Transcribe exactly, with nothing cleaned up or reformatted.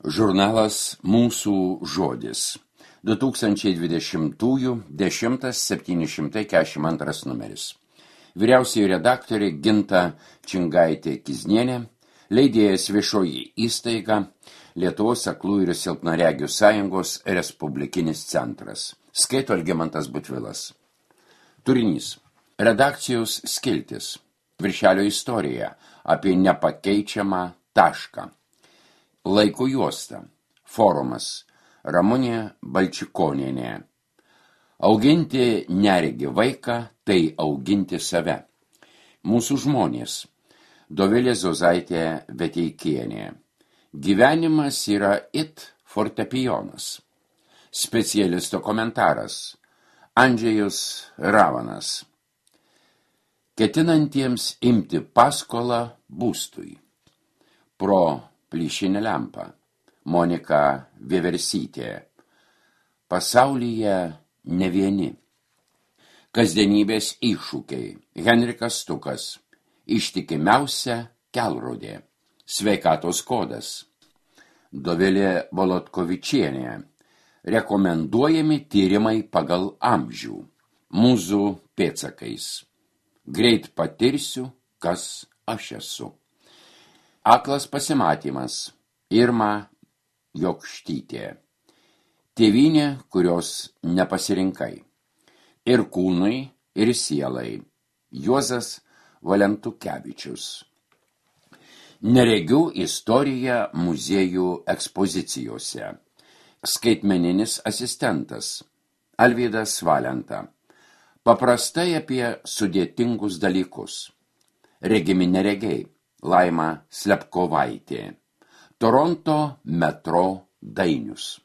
Žurnalas Mūsų žodis. du tūkstančiai dvidešimtųjų dešimtas septyni šimtai keturiasdešimt antras numeris. Vyriausioji redaktorė Ginta Čingaitė-Kiznienė, leidėjas Viešoji įstaiga, Lietuvos aklųjų ir silpnaregių sąjungos Respublikinis centras. Skaito Algimantas Butvilas. Turinys. Redakcijos skiltis. Viršelio istorija apie nepakeičiamą tašką. Laiko juosta. Forumas. Ramunė Balčikonienė. Auginti neregį vaiką, tai auginti save. Mūsų žmonės. Dovilė Zozaitė Veteikienė. Gyvenimas yra it fortepijonas. Specialisto komentaras. Andžejus Ravanas. Ketinantiems imti paskolą būstui. Pro plyšinę lempą. Monika Vieversytė. Pasaulyje ne vieni. Kasdienybės iššūkiai. Henrikas Stukas. Ištikimiausia kelrodė. Sveikatos kodas. Dovilė Volodkovičienė. Rekomenduojami tyrimai pagal amžių. Mūzų pėdsakais. Greit patirsiu, kas aš esu. Aklas pasimatymas. Irma Jokštytė. Tėvynė, kurios nepasirinkai. Ir kūnui, ir sielai. Juozas Valentukevičius. Neregių istorija muziejų ekspozicijose. Skaitmeninis asistentas. Alvydas Valenta. Paprastai apie sudėtingus dalykus. Regimi neregiai. Laima Slepkovaitė. Toronto metro dainius.